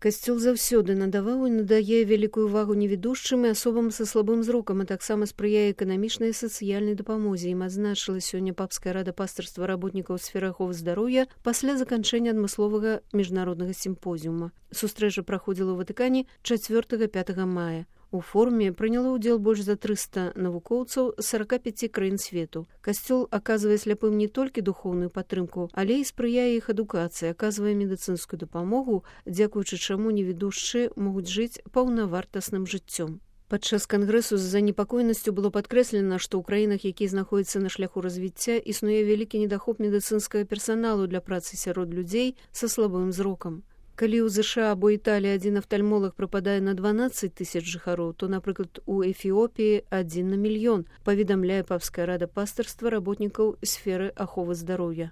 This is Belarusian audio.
Касцёл заўсёды надаваў і надае вялікую ўвагу невідушчым і асобам са слабым зрокам, а таксама спрыяе эканамічнай і сацыяльнай дапамозе. Ім адзначыла сёння папская рада пастырства работнікаў сферы аховы здароўя пасля заканчэння адмысловага міжнароднага сімпозіума. Сустрэча праходзіла ў Ватыкане 4-5 мая. У форуме прыняло ўдзел больш за 300 навукоўцаў з 45 краін свету. Касцёл аказвае сляпым не толькі духоўную падтрымку, але і спрыяе іх адукацыі, аказвае медыцынскую дапамогу, дзякуючы чаму невідушчыя могуць жыць паўнавартасным жыццём. Падчас кангрэсу з занепакоенасцю было падкрэслена, што ў краінах, якія знаходзяцца на шляху развіцця, існуе вялікі недахоп медыцынскага персаналу для працы сярод людзей са слабым зрокам. Калі ў ЗША або Італіі адзін афтальмолаг прыпадае на 12 000 жыхароў, то, напрыклад, у Эфіопіі 1 на мільён, паведамляе папская рада пастырства работнікаў сферы аховы здароўя.